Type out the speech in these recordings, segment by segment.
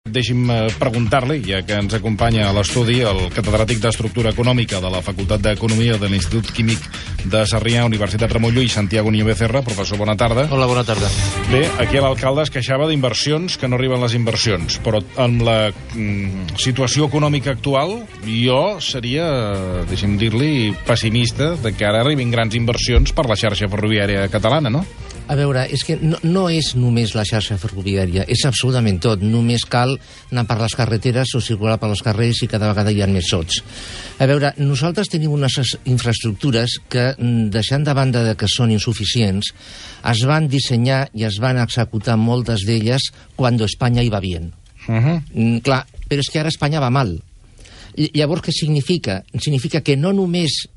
Deixi'm preguntar-li, ja que ens acompanya a l'estudi el catedràtic d'Estructura Econòmica de la Facultat d'Economia de l'Institut Químic de Sarrià, Universitat Ramon Llull, Santiago Niño Becerra. Professor, bona tarda. Hola, bona tarda. Bé, aquí l'alcalde es queixava d'inversions, que no arriben les inversions, però amb la situació econòmica actual jo seria, deixi'm dir-li, pessimista de que ara arribin grans inversions per la xarxa ferroviària catalana, no? A veure, és que no és només la xarxa ferroviària, és absolutament tot. Només cal anar per les carreteres o circular per els carrers i cada vegada hi ha més sots. A veure, nosaltres tenim unes infraestructures que, deixant de banda de que són insuficients, es van dissenyar i es van executar moltes d'elles quan Espanya hi va bien. Clar, però és que ara Espanya va mal. Llavors, què significa? Significa que no només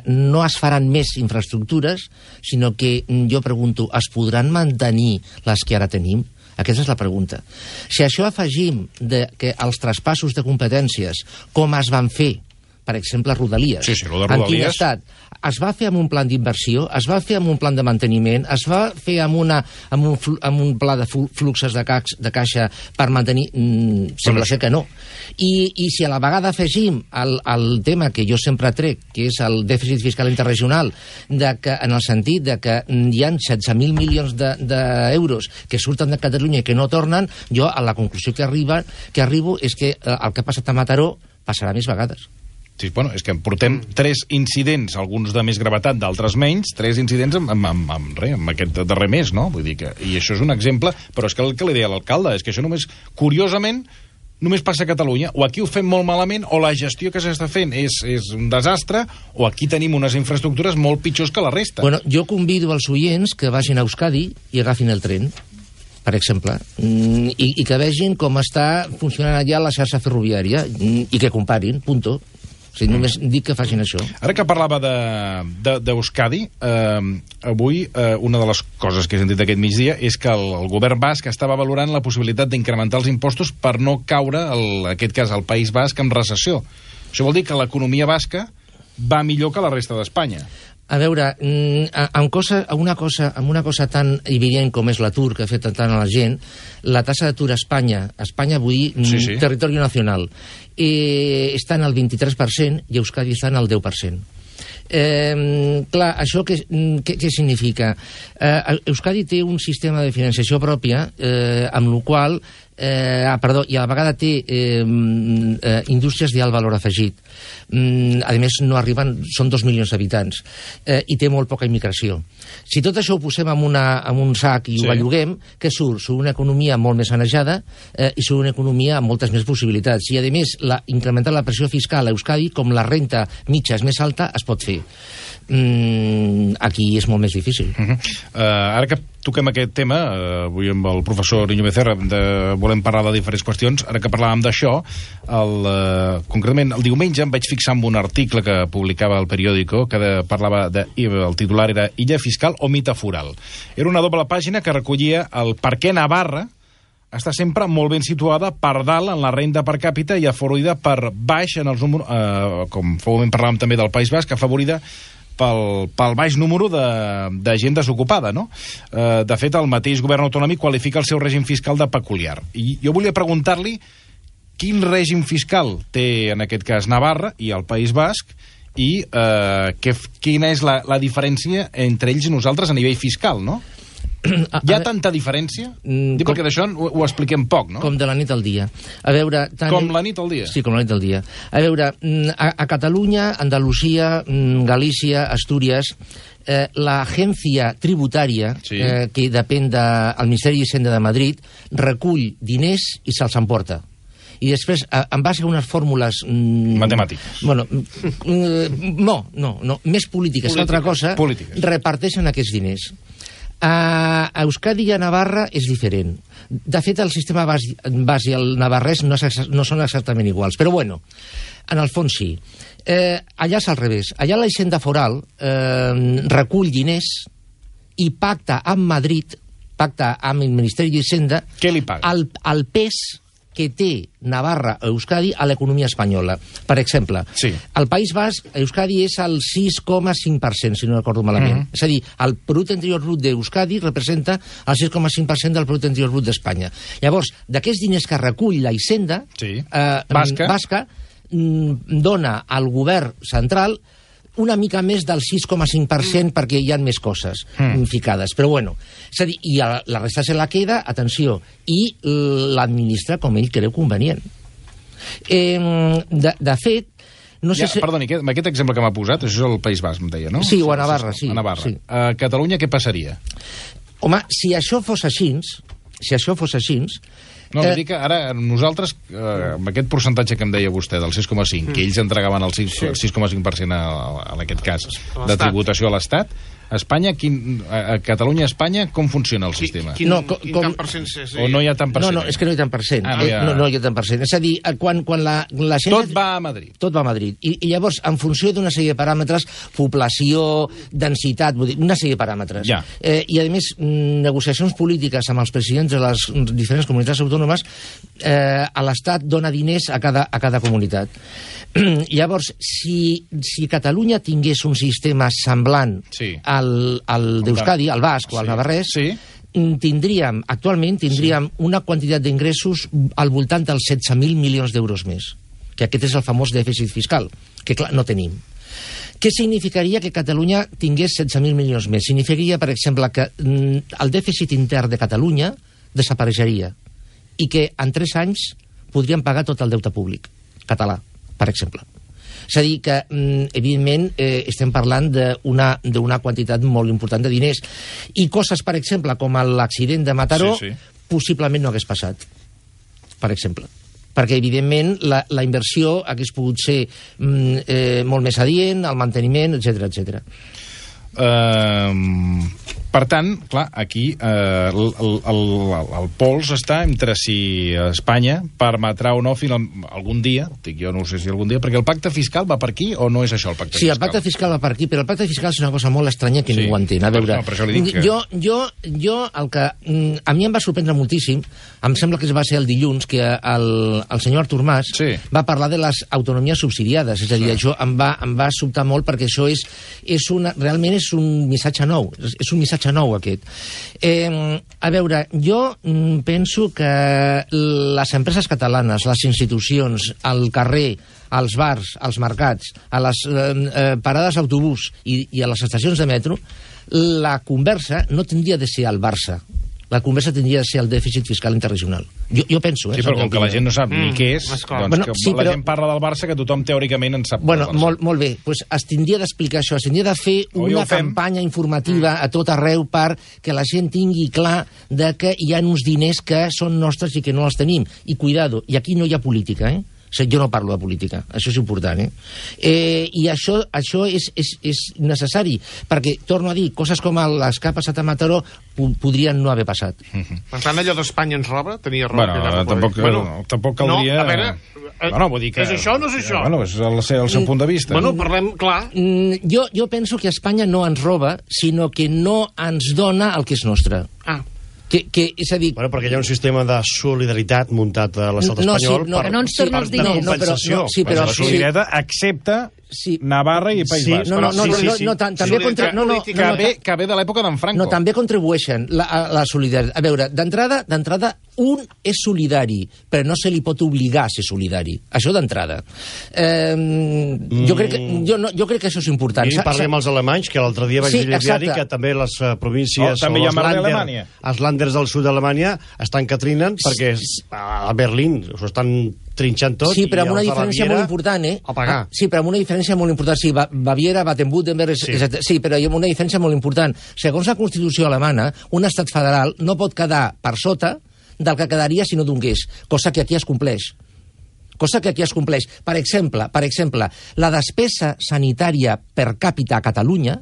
no es faran més infraestructures, sinó que, jo pregunto, es podran mantenir les que ara tenim? Aquesta és la pregunta. Si això afegim que els traspassos de competències, com es van fer, per exemple, Rodalies. Sí, lo de Rodalies. En quin estat? Es va fer amb un plan d'inversió, es va fer amb un plan de manteniment, es va fer amb un pla de fluxes de caixa per mantenir... Sembla ser que no. I si a la vegada afegim el tema que jo sempre trec, que és el dèficit fiscal interregional, en el sentit de que hi ha 16.000 milions d'euros que surten de Catalunya i que no tornen, jo a la conclusió que arribo és que el que ha passat a Mataró passarà més vegades. Sí, bueno, és que portem 3 incidents, alguns de més gravetat, d'altres menys, 3 incidents amb aquest darrer mes, no? Vull dir que, i això és un exemple, però és que el que li deia l'alcalde és que això només, curiosament, només passa a Catalunya. O aquí ho fem molt malament, o la gestió que s'està fent és un desastre, o aquí tenim unes infraestructures molt pitjors que la resta. Bueno, jo convido els oients que vagin a Euskadi i agafin el tren, per exemple, i que vegin com està funcionant allà la xarxa ferroviària, i que comparin, punto. O sigui, només dic que facin això. Ara que parlava d'Euskadi, avui una de les coses que he sentit aquest migdia és que el govern basc estava valorant la possibilitat d'incrementar els impostos per no caure, en aquest cas, al País Basc, en recessió. Això vol dir que l'economia basca va millor que la resta d'Espanya. A veure, amb una cosa tan evident com és l'atur que ha fet tant a la gent, la tassa d'atur a Espanya vull dir, sí. Territori nacional, està en el 23% i Euskadi està en el 10%. Clar, això què significa? Euskadi té un sistema de financiació pròpia, amb el qual i a la vegada té indústries d'alt valor afegit. A més, no arriben, són 2 milions d'habitants, i té molt poca immigració. Si tot això ho posem en un sac i ho belluguem, què surt? Surt una economia molt més sanejada i surt una economia amb moltes més possibilitats. I, a més, incrementar la pressió fiscal a Euskadi, com la renta mitja és més alta, es pot fer. Aquí és molt més difícil. Ara que toquem aquest tema, avui amb el professor Niño Becerra volem parlar de diferents qüestions. Ara que parlàvem d'això, concretament el diumenge em vaig fixar en un article que publicava el periòdico que parlava el titular era Illa fiscal o mite foral. Era una doble pàgina que recollia el per què Navarra està sempre molt ben situada per dalt en la renda per càpita i afavorida per baix en els números, com fa un moment parlàvem també del País Basc, afavorida pel baix número de gent desocupada, no? De fet, el mateix govern autonòmic qualifica el seu règim fiscal de peculiar. I jo volia preguntar-li quin règim fiscal té, en aquest cas, Navarra i el País Basc i quina és la diferència entre ells i nosaltres a nivell fiscal, no? Hi ha tanta diferència? Perquè d'això ho expliquem poc, no? Com de la nit al dia. A veure... Com la nit al dia? Sí, com la nit al dia. A veure, a Catalunya, Andalusia, Galícia, Astúries, l'agència tributària, que depèn del Ministeri d'Hisenda de Madrid, recull diners i se'ls emporta. I després, en base a unes fórmules... Matemàtiques. Bueno, no, més polítiques que altra cosa, reparteixen aquests diners. A Euskadi i a Navarra és diferent. De fet, el sistema basc i el navarrès no són exactament iguals. Però, bueno, en el fons sí. Allà és al revés. Allà la Hisenda Foral recull diners i pacta amb Madrid, pacta amb el Ministeri d'Hisenda... Què li paga? El pes que té Navarra o Euskadi a l'economia espanyola. Per exemple, el País Basc, Euskadi és el 6,5%, si no recordo malament. És a dir, el producte interior brut d'Euskadi representa el 6,5% del producte interior brut d'Espanya. Llavors, d'aquests diners que recull la Hisenda basca, dona al govern central una mica més del 6,5% perquè hi ha més coses ficades. Però bueno, és a dir, i la resta se la queda, atenció, i l'administra com ell creu convenient. De fet, no sé si... Perdoni, amb aquest exemple que m'ha posat, això és el País Basc, em deia, no? Sí, o a Navarra, sí. A Navarra. A Catalunya què passaria? Home, si això fos així... No, vull dir que ara nosaltres, amb aquest percentatge que em deia vostè, del 6,5, que ells entregaven el 6,5% en aquest cas de tributació a l'Estat, a Catalunya, Espanya, com funciona el sistema? Quin tant per cent? O no hi ha tant per cent? No, és que no hi ha tant per cent. No hi ha tant per cent. És a dir, quan la gent... Tot va a Madrid. Tot va a Madrid. I llavors, en funció d'una sèrie de paràmetres, població, densitat, una sèrie de paràmetres. I, a més, negociacions polítiques amb els presidents de les diferents comunitats autònomes, a l'Estat dona diners a cada comunitat. Llavors, si Catalunya tingués un sistema semblant al d'Euskadi, al basc o al navarrès, actualment tindríem una quantitat d'ingressos al voltant dels 16.000 milions d'euros més, que aquest és el famós dèficit fiscal, que clar, no tenim. Què significaria que Catalunya tingués 16.000 milions més? Significaria, per exemple, que el dèficit intern de Catalunya desapareixeria i que en 3 anys podríem pagar tot el deute públic català, per exemple. És a dir que, evidentment, estem parlant d'una quantitat molt important de diners. I coses, per exemple, com l'accident de Mataró, possiblement no hagués passat, per exemple. Perquè, evidentment, la inversió hagués pogut ser molt més adient, el manteniment, etc. Per tant, clar, aquí el pols està entre si Espanya permetrà o no algun dia, dic jo no sé si algun dia, perquè el pacte fiscal va per aquí o no és això el pacte fiscal? Sí, el pacte fiscal va per aquí, però el pacte fiscal és una cosa molt estranya que ningú entén. A veure, per això li dic que... jo el que a mi em va sorprendre moltíssim, em sembla que va ser el dilluns que el senyor Artur Mas va parlar de les autonomies subsidiades, és a dir, això em va sobtar molt perquè això realment és un missatge nou, és un missatge nou aquest. A veure, jo penso que les empreses catalanes, les institucions, el carrer, als bars, als mercats, a les parades d'autobús i a les estacions de metro, la conversa no tindria de ser al Barça. La conversa tindria de ser el dèficit fiscal interregional. Jo penso... Sí, però com que la gent no sap ni què és, doncs la gent parla del Barça que tothom teòricament en sap. Bueno, molt bé, doncs es tindria d'explicar això, es tindria de fer una campanya informativa a tot arreu perquè la gent tingui clar de que hi ha uns diners que són nostres i que no els tenim. I cuidado, i aquí no hi ha política, jo no parlo de política, això és important, i això és necessari, perquè, torno a dir, coses com les que ha passat a Mataró podrien no haver passat. Per tant, allò d'Espanya ens roba? Tenia raó. Tampoc caldria... No, a veure... vull dir que... És això o no és això? És el seu punt de vista. Parlem clar. Jo penso que Espanya no ens roba, sinó que no ens dona el que és nostre. És a dir... Bueno, perquè hi ha un sistema de solidaritat muntat a l'estat espanyol per compensació. Però la solidaritat accepta Navarra i País Basc. Que ve de l'època d'en Franco. No, també contribueixen la solidaritat. A veure, d'entrada, un és solidari, però no se li pot obligar a ser solidari. Això d'entrada. Jo crec que això és important. I parlem amb els alemanys, que l'altre dia vaig dir que també les províncies... També hi ha mar d'Alemanya. Els Länders del sud d'Alemanya estan que trinen perquè a Berlín s'ho estan trinxant tot. Sí, però amb una diferència molt important, a pagar. Sí, però amb una diferència molt important. Sí, Baviera, Baden-Württemberg... Sí, però amb una diferència molt important. Segons la Constitució alemana, un estat federal no pot quedar per sota del que quedaria si no donés, cosa que aquí es compleix. Per exemple, la despesa sanitària per càpita a Catalunya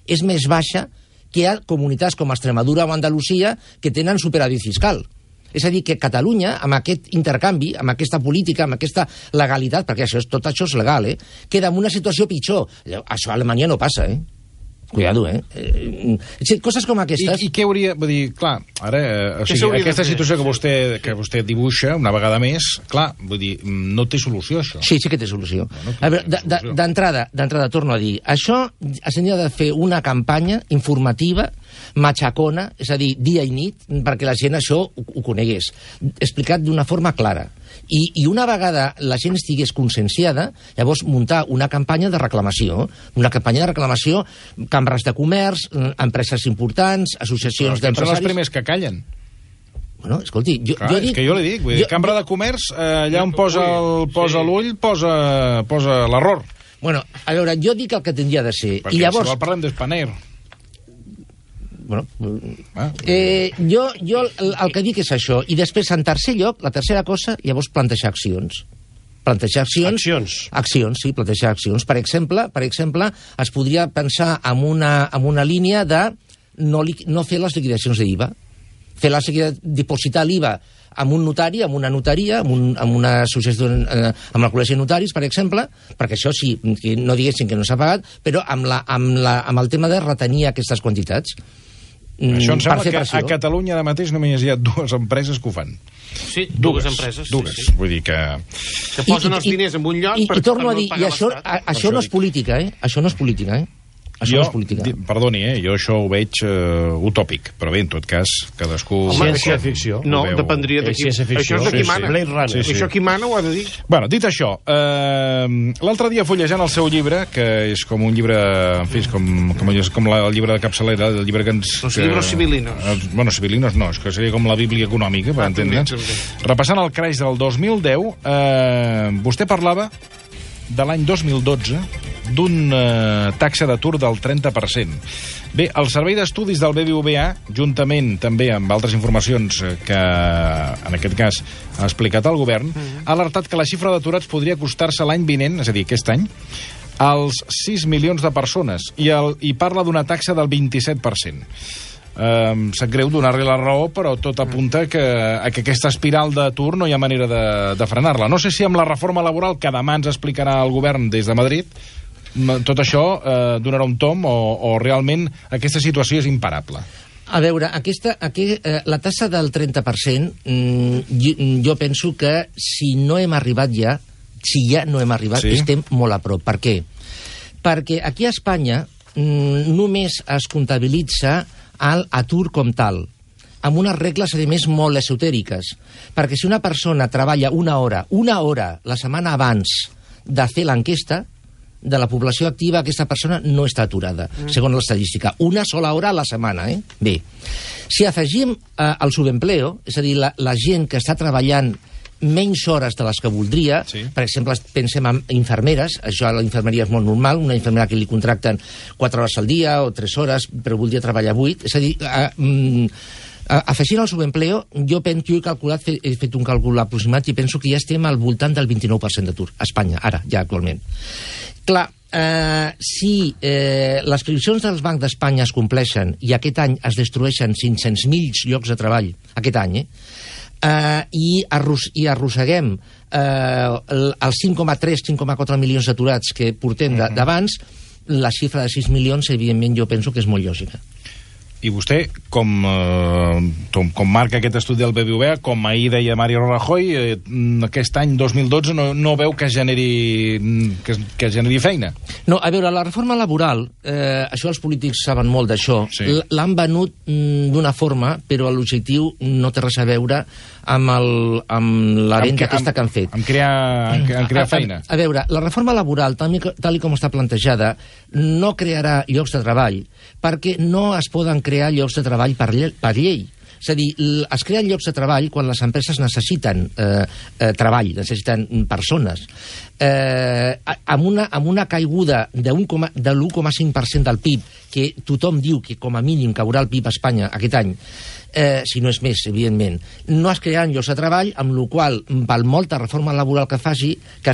és més baixa que hi ha comunitats com Extremadura o Andalusia que tenen superàvit fiscal. És a dir, que Catalunya, amb aquest intercanvi, amb aquesta política, amb aquesta legalitat, perquè tot això és legal, queda en una situació pitjor. Això a Alemanya no passa, Cuidado, coses com aquestes... I què hauria... Vull dir, clar, ara, aquesta situació que vostè dibuixa, una vegada més, clar, vull dir, no té solució, això. Sí que té solució. A veure, d'entrada, torno a dir, això s'hauria de fer una campanya informativa, matxacona, és a dir, dia i nit, perquè la gent això ho conegués, explicat d'una forma clara. I una vegada la gent estigués conscienciada, llavors muntar una campanya de reclamació, cambres de comerç, empreses importants, associacions d'empresaris... Són els primers que callen. Bueno, escolti, jo dic... És que jo li dic, vull dir, cambra de comerç, allà on posa l'ull, posa l'error. Bueno, a veure, jo dic el que tindria de ser. Perquè i llavors... si vol parlem d'Spanair. Bueno, jo el que dic és això. I després, en tercer lloc, la tercera cosa, llavors plantejar accions. Accions, sí, plantejar accions. Per exemple, es podria pensar en una línia de no fer les liquidacions d'IVA. Dipositar l'IVA amb un notari, amb una notaria, amb una associació, amb el col·legi de notaris, per exemple, perquè això sí, no diguessin que no s'ha pagat, però amb el tema de retenir aquestes quantitats. Això em sembla que a Catalunya ara mateix només hi ha 2 empreses que ho fan. Sí, dues empreses. Dues. Sí. Vull dir que posen els diners en un lloc i torno a dir, i això no és política, Això no és política, Això no és política. Perdoni, jo això ho veig utòpic, però bé, en tot cas, cadascú... Ciència-ficció. No, dependria de qui... Això és de qui mana. Blade Runner. Això qui mana ho ha de dir. Bueno, dit això, l'altre dia fullejant el seu llibre, que és com un llibre, en fi, com el llibre de capçalera, el llibre que ens... Los libros civilinos. Bueno, civilinos no, és que seria com la Bíblia econòmica, per entendre'ns. Repassant el crash del 2010, vostè parlava de l'any 2012 d'una taxa d'atur del 30%. Bé, el Servei d'Estudis del BBVA, juntament també amb altres informacions que, en aquest cas, ha explicat el govern, ha alertat que la xifra d'aturats podria acostar-se l'any vinent, és a dir, aquest any, als 6 milions de persones, i parla d'una taxa del 27%. Sap greu donar-li la raó, però tot apunta a que aquesta espiral d'atur no hi ha manera de frenar-la. No sé si amb la reforma laboral que demà ens explicarà el govern des de Madrid, tot això donarà un tom o realment aquesta situació és imparable. A veure, la tassa del 30%, jo penso que si no hem arribat ja, estem molt a prop. Per què? Perquè aquí a Espanya només es comptabilitza l'atur com tal, amb unes regles, a més, molt esotèriques. Perquè si una persona treballa una hora la setmana abans de fer l'enquesta de la població activa, aquesta persona no està aturada, segons l'estadística. Una sola hora a la setmana, Bé, si afegim el subempleo, és a dir, la gent que està treballant menys hores de les que voldria, per exemple, pensem en infermeres, això a la infermeria és molt normal, una infermera que li contracten 4 hores al dia o 3 hores, però voldria treballar 8, és a dir, afegint el subempleo, jo he fet un càlcul aproximat i penso que ja estem al voltant del 29% d'atur a Espanya, ara, ja actualment. Clar, si les previsions dels bancs d'Espanya es compleixen i aquest any es destrueixen 500.000 llocs de treball, aquest any, i arrosseguem els 5,3-5,4 milions d'aturats que portem d'abans, la xifra de 6 milions, evidentment, jo penso que és molt lògica. I vostè, com marca aquest estudi del BBVA, com ahir deia Mario Rajoy, aquest any 2012 no veu que generi feina? No, a veure, la reforma laboral, això els polítics saben molt d'això, l'han venut d'una forma, però l'objectiu no té res a veure amb la venda aquesta que han fet. En crear feina. A veure, la reforma laboral, tal com està plantejada, no crearà llocs de treball, perquè no es poden crear llocs de treball per llei. És a dir, es creen llocs de treball quan les empreses necessiten treball, necessiten persones. Amb una caiguda de l'1,5% del PIB, que tothom diu que com a mínim caurà el PIB a Espanya aquest any, si no és més, evidentment, no es crearan llocs de treball, amb la qual cosa, per molta reforma laboral que es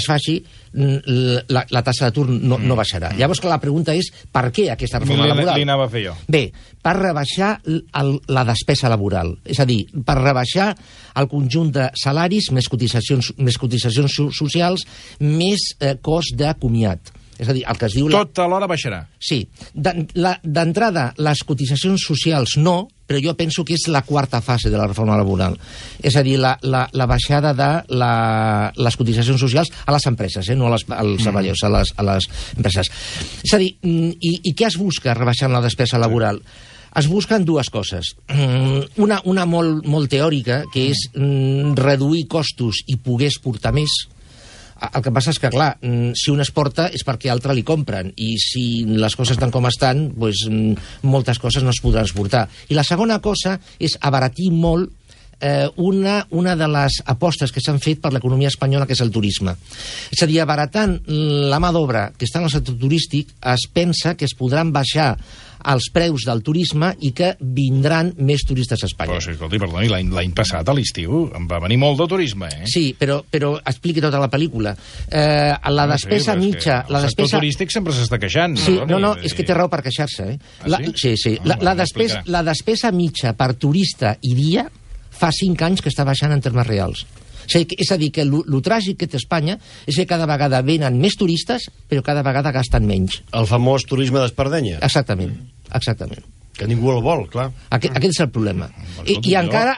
faci, la tassa d'atur no baixarà. Llavors, la pregunta és, per què aquesta reforma laboral? Li anava a fer jo. Bé, per rebaixar la despesa laboral, és a dir, per rebaixar el conjunt de salaris, més cotitzacions socials, més cost de comiat. És a dir, el que es diu... Tot alhora baixarà. Sí. D'entrada, les cotitzacions socials no, però jo penso que és la quarta fase de la reforma laboral. És a dir, la baixada de les cotitzacions socials a les empreses, no als treballadors, a les empreses. És a dir, i què es busca rebaixant la despesa laboral? Es busquen dues coses. Una molt teòrica, que és reduir costos i poder exportar més. El que passa és que, clar, si un exporta és perquè altre li compren, i si les coses estan com estan, doncs moltes coses no es podran exportar. I la segona cosa és abaratir molt una de les apostes que s'han fet per l'economia espanyola, que és el turisme. És a dir, abaratant la mà d'obra que està en el sector turístic, es pensa que es podran baixar els preus del turisme i que vindran més turistes a Espanya. Però, escolti, perdoni, l'any passat, a l'estiu, en va venir molt de turisme, eh? Sí, però expliqui tota la pel·lícula. La despesa mitja... El sector turístic sempre s'està queixant. Sí, no, és que té raó per queixar-se, eh? Sí. La despesa mitja per turista i dia fa 5 anys que està baixant en termes reals. És a dir, que el tràgic que té Espanya és que cada vegada venen més turistes, però cada vegada gasten menys. El famós turisme d'espardenya. Exactament. Que ningú el vol, clar. Aquest és el problema. I encara,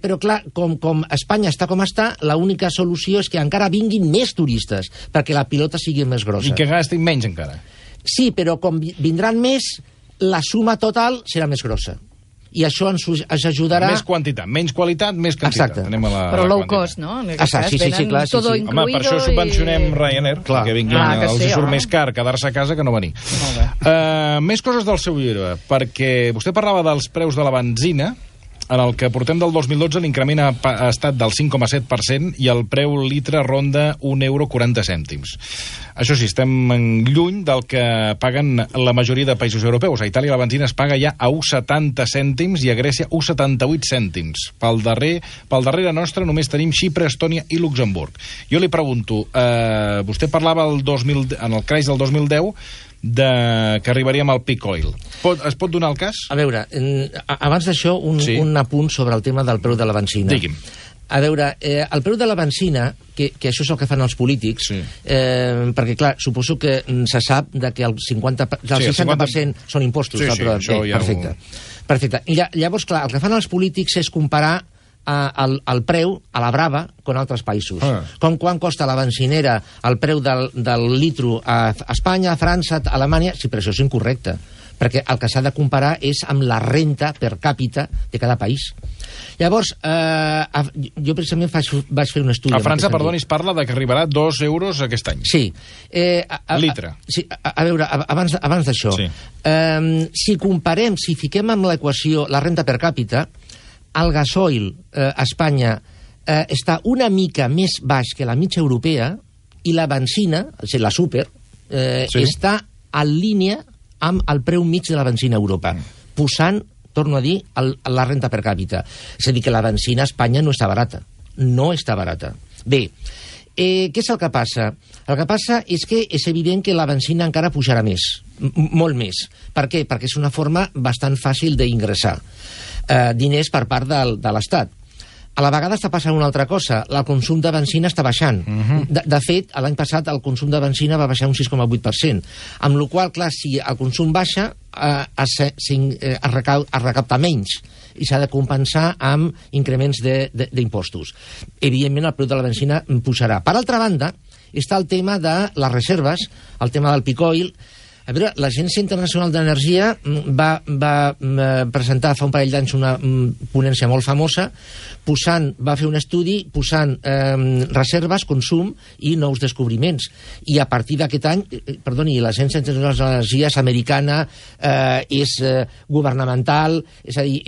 però clar, com Espanya està com està, l'única solució és que encara vinguin més turistes, perquè la pilota sigui més grossa. I que gastin menys encara. Sí, però com vindran més, la suma total serà més grossa. I això ens ajudarà... Més quantitat, menys qualitat, més quantitat. Exacte. Però low cost, no? Sí, clar. Home, per això subvencionem Ryanair, que vinguin, els surt més car quedar-se a casa que no venir. Més coses del seu llibre, perquè vostè parlava dels preus de la benzina, en el que portem del 2012 l'increment ha estat del 5,7% i el preu litre ronda €1,40. Això sí, estem lluny del que paguen la majoria de països europeus. A Itàlia la benzina es paga ja a 1,70 cèntims i a Grècia 1,78 cèntims. Pel darrere nostre només tenim Xipre, Estònia i Luxemburg. Jo li pregunto, vostè parlava en el creix del 2010 que arribaríem al peak oil. Es pot donar el cas? A veure, abans d'això, un apunt sobre el tema del preu de la benzina. Digui'm. A veure, el preu de la benzina, que això és el que fan els polítics, perquè, clar, suposo que se sap que el 60% són impostos. Perfecte. I llavors, clar, el que fan els polítics és comparar el preu a la brava con altres països. Com quan costa la benzinera el preu del litro a Espanya, a França, a Alemanya. Sí, però això és incorrecte, perquè el que s'ha de comparar és amb la renta per càpita de cada país. Llavors, jo precisament vaig fer un estudi... A França, perdoni, es parla de que arribarà a €2 aquest any. Sí. Litre. Sí, a veure, abans d'això, si fiquem en l'equació la renta per càpita, el gasoil a Espanya està una mica més baix que la mitja europea i la benzina, la super, està en línia amb el preu mig de la benzina a Europa, posant, torno a dir, la renta per càpita. És a dir, que la benzina a Espanya no està barata. No està barata. Bé, què és el que passa? El que passa és que és evident que la benzina encara pujarà més, molt més. Per què? Perquè és una forma bastant fàcil d'ingressar diners per part de l'Estat. A la vegada està passant una altra cosa. El consum de benzina està baixant. De fet, l'any passat el consum de benzina va baixar un 6,8%. Amb la qual cosa, clar, si el consum baixa, es recapta menys i s'ha de compensar amb increments d'impostos. Evidentment, el preu de la benzina pujarà. Per altra banda, està el tema de les reserves, el tema del peak oil. A veure, l'Agència Internacional d'Energia va presentar fa un parell d'anys una ponència molt famosa, va fer un estudi posant reserves, consum i nous descobriments. I a partir d'aquest any, l'Agència Internacional d'Energia és americana, és governamental, és a dir,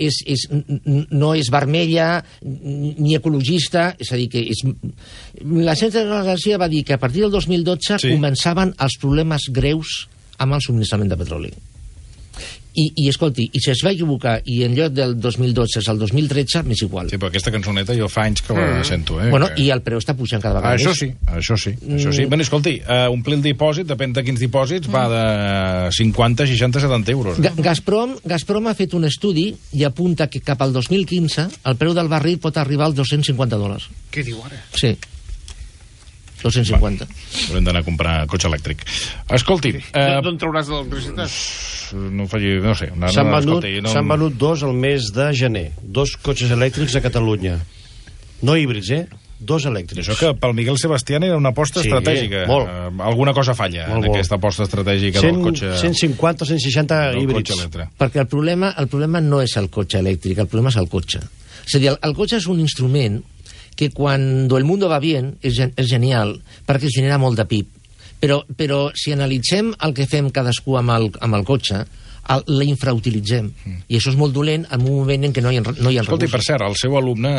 no és vermella ni ecologista, és a dir, que l'Agència Internacional d'Energia va dir que a partir del 2012 començaven els problemes greus amb el subministrament de petroli. I escolti, i si es va equivocar i en lloc del 2012 és el 2013, m'és igual. Sí, però aquesta cançoneta jo fa anys que la sento. Bueno, i el preu està pujant cada vegada més. Això sí. Bueno, escolti, omplir el dipòsit, depèn de quins dipòsits, va de 50, 60, 70 euros. Gazprom ha fet un estudi i apunta que cap al 2015 el preu del barril pot arribar als $250. Què diu ara? Sí. 250. Haurem d'anar a comprar cotxe elèctric. Escolti... D'on trauràs l'electricitat? No sé. S'han venut 2 al mes de gener. 2 cotxes elèctrics a Catalunya. No híbrids, 2 elèctrics. Això que pel Miguel Sebastián era una aposta estratègica. Molt. Alguna cosa falla en aquesta aposta estratègica del cotxe... 150 o 160 híbrids. Perquè el problema no és el cotxe elèctric, el problema és el cotxe. És a dir, el cotxe és un instrument que quan el mundo va bien és genial, perquè genera molt de PIB. Però si analitzem el que fem cadascú amb el cotxe, l'infrautilitzem. I això és molt dolent en un moment en què no hi ha recursos. Escolta, per cert, el seu alumne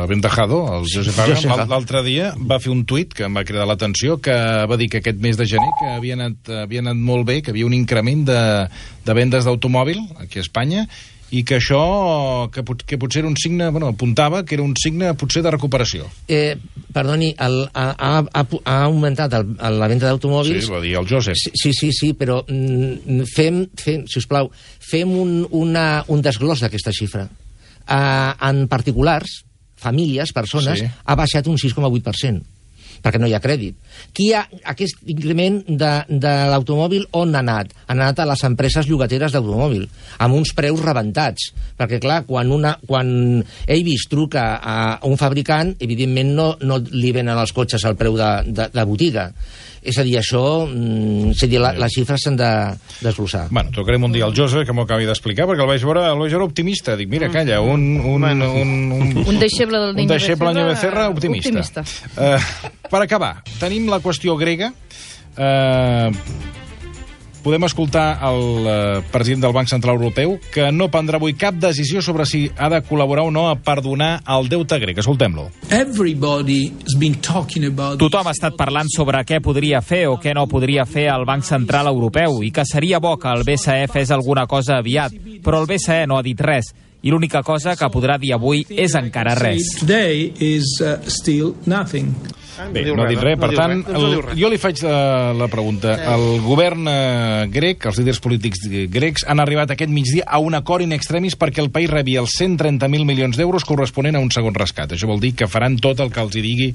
Aventajado, el Josep Aga, l'altre dia va fer un tuit que em va cridar l'atenció, que va dir que aquest mes de gener que havia anat molt bé, que havia un increment de vendes d'automòbil aquí a Espanya, i que això, que potser era un signe, apuntava que era un signe potser de recuperació. Perdoni, ha augmentat la venda d'automòbils. Sí, va dir el Josep. Sí, però sisplau, fem un desglòs d'aquesta xifra. En particulars, famílies, persones, ha baixat un 6,8%. perquè no hi ha crèdit. Aquest increment de l'automòbil on ha anat? Ha anat a les empreses llogateres d'automòbil, amb uns preus rebentats. Perquè, clar, quan Avis truca a un fabricant, evidentment no li venen els cotxes al preu de botiga. És a dir, les xifres s'han de desglossar. Bueno, trucarem un dia al Josep, que m'ho acabi d'explicar, perquè el vaig veure optimista. Dic, mira, calla, un deixeble del Niño Becerra optimista. Per acabar, tenim la qüestió grega. Podem escoltar el president del Banc Central Europeu, que no prendrà avui cap decisió sobre si ha de col·laborar o no a perdonar el deute grec. Escoltem-lo. Tothom ha estat parlant sobre què podria fer o què no podria fer el Banc Central Europeu i que seria bo que el BCE fes alguna cosa aviat, però el BCE no ha dit res i l'única cosa que podrà dir avui és encara res. Bé, no ha dit res, per tant, jo li faig la pregunta. El govern grec, els líders polítics grecs, han arribat aquest migdia a un acord in extremis perquè el país rebi els 130.000 milions d'euros corresponent a un segon rescat. Això vol dir que faran tot el que els hi digui,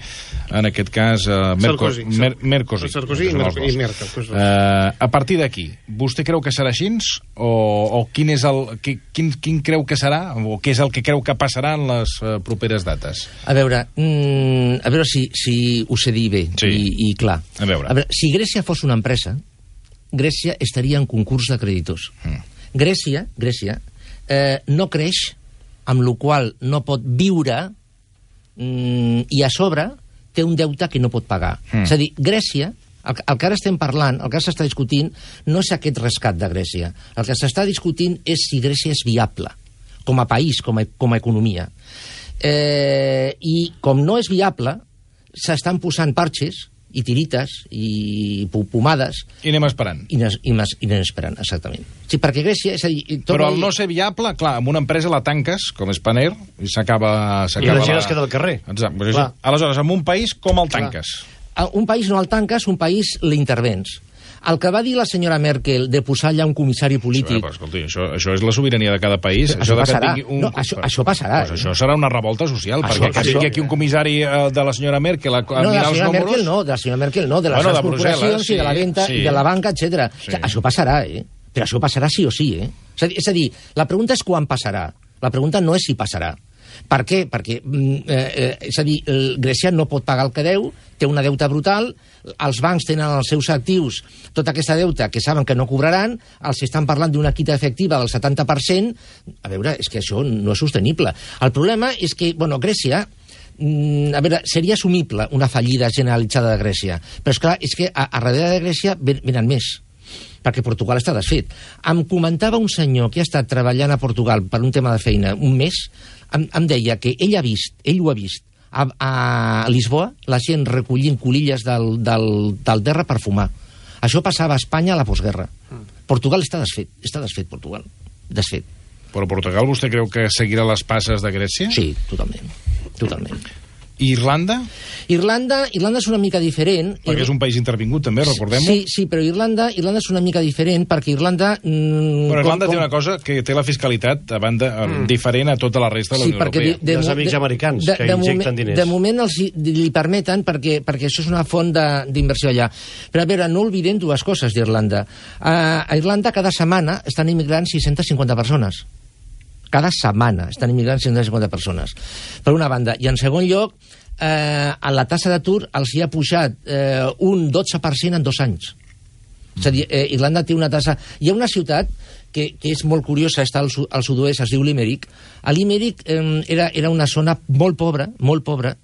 en aquest cas, Mercosur. Sarkozy i Merkel. A partir d'aquí, vostè creu que serà així? O quin creu que serà? O què és el que creu que passarà en les properes dates? A veure si ho sé dir bé i clar. A veure, si Grècia fos una empresa, Grècia estaria en concurs de creditors. Grècia no creix, amb la qual no pot viure i a sobre té un deute que no pot pagar. És a dir, Grècia, el que ara estem parlant, el que s'està discutint, no és aquest rescat de Grècia. El que s'està discutint és si Grècia és viable, com a país, com a economia. I com no és viable, s'estan posant parxes i tirites i pomades. I anem esperant. I anem esperant, exactament. Sí, perquè Grècia... Però al no ser viable, clar, amb una empresa la tanques, com és Paner, i s'acaba... I la gent es queda al carrer. Exacte. Aleshores, amb un país, com el tanques? Un país no el tanques, un país l'intervens. El que va dir la senyora Merkel de posar allà un comissari polític... Però, escolti, això és la sobirania de cada país. Això passarà. Això passarà. Pues això serà una revolta social, perquè que vingui aquí un comissari de la senyora Merkel a mirar els números... De la senyora Merkel no, de les grans corporacions i de la venda i de la banca, etc. Això passarà, Però això passarà sí o sí, És a dir, la pregunta és quan passarà. La pregunta no és si passarà. Per què? Perquè, és a dir, Grècia no pot pagar el que deu, té una deuta brutal, els bancs tenen els seus actius, tota aquesta deuta que saben que no cobraran, els estan parlant d'una quita efectiva del 70%, a veure, és que això no és sostenible. El problema és que, Grècia, seria assumible una fallida generalitzada de Grècia, però és clar, és que a darrere de Grècia venen més, perquè Portugal està desfet. Em comentava un senyor que ha estat treballant a Portugal per un tema de feina un mes, em deia que ell ho ha vist a Lisboa, la gent recollint colilles del terra per fumar. Això passava a Espanya a la postguerra. Portugal està desfet, Portugal. Desfet. Però Portugal vostè creu que seguirà les passes de Grècia? Sí, totalment. Irlanda? Irlanda és una mica diferent. Perquè és un país intervingut, també, recordem-ho. Sí, però Irlanda és una mica diferent, perquè Irlanda... Però Irlanda té una cosa, que té la fiscalitat a banda diferent a tota la resta de la Unió Europea. Els amics americans, que injecten diners. De moment li permeten, perquè això és una font d'inversió allà. Però a veure, no oblidem dues coses d'Irlanda. A Irlanda cada setmana estan immigrant 650 persones. Cada setmana estan immigrant 650 persones. Per una banda. I en segon lloc, a la tassa d'atur els hi ha pujat un 12% en 2 anys. És a dir, Irlanda té una tassa... Hi ha una ciutat que és molt curiosa, està al sud-oest, es diu Limerick. A Limerick era una zona molt pobra,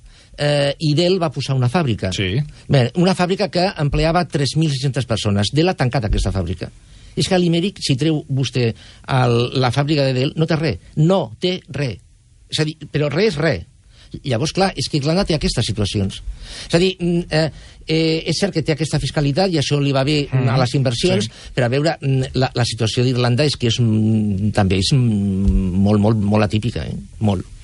i Dell va posar una fàbrica. Sí. Bé, una fàbrica que empleava 3.600 persones. Dell ha tancat aquesta fàbrica. És que a Limerick, si treu vostè la fàbrica de Dell, no té res. No té res. És a dir, però res és res. Llavors, clar, és que Irlanda té aquestes situacions. És a dir, és cert que té aquesta fiscalitat i això li va bé a les inversions, però a veure, la situació d'Irlanda és que també és molt atípica, molt.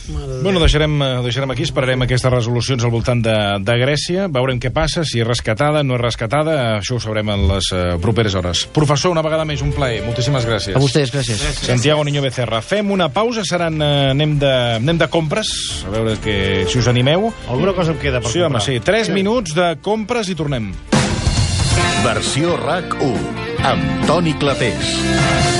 Bueno, deixarem aquí, esperarem aquestes resolucions al voltant de Grècia, veurem què passa, si és rescatada, no és rescatada, això ho sabrem en les properes hores. Professor, una vegada més, un plaer, moltíssimes gràcies. A vostès, gràcies. Santiago Niño Becerra. Fem una pausa, anem de compres, a veure si us animeu. Alguna cosa em queda per comprar. Sí, 3 minuts de compres i tornem. Versió RAC 1, amb Toni Clapés.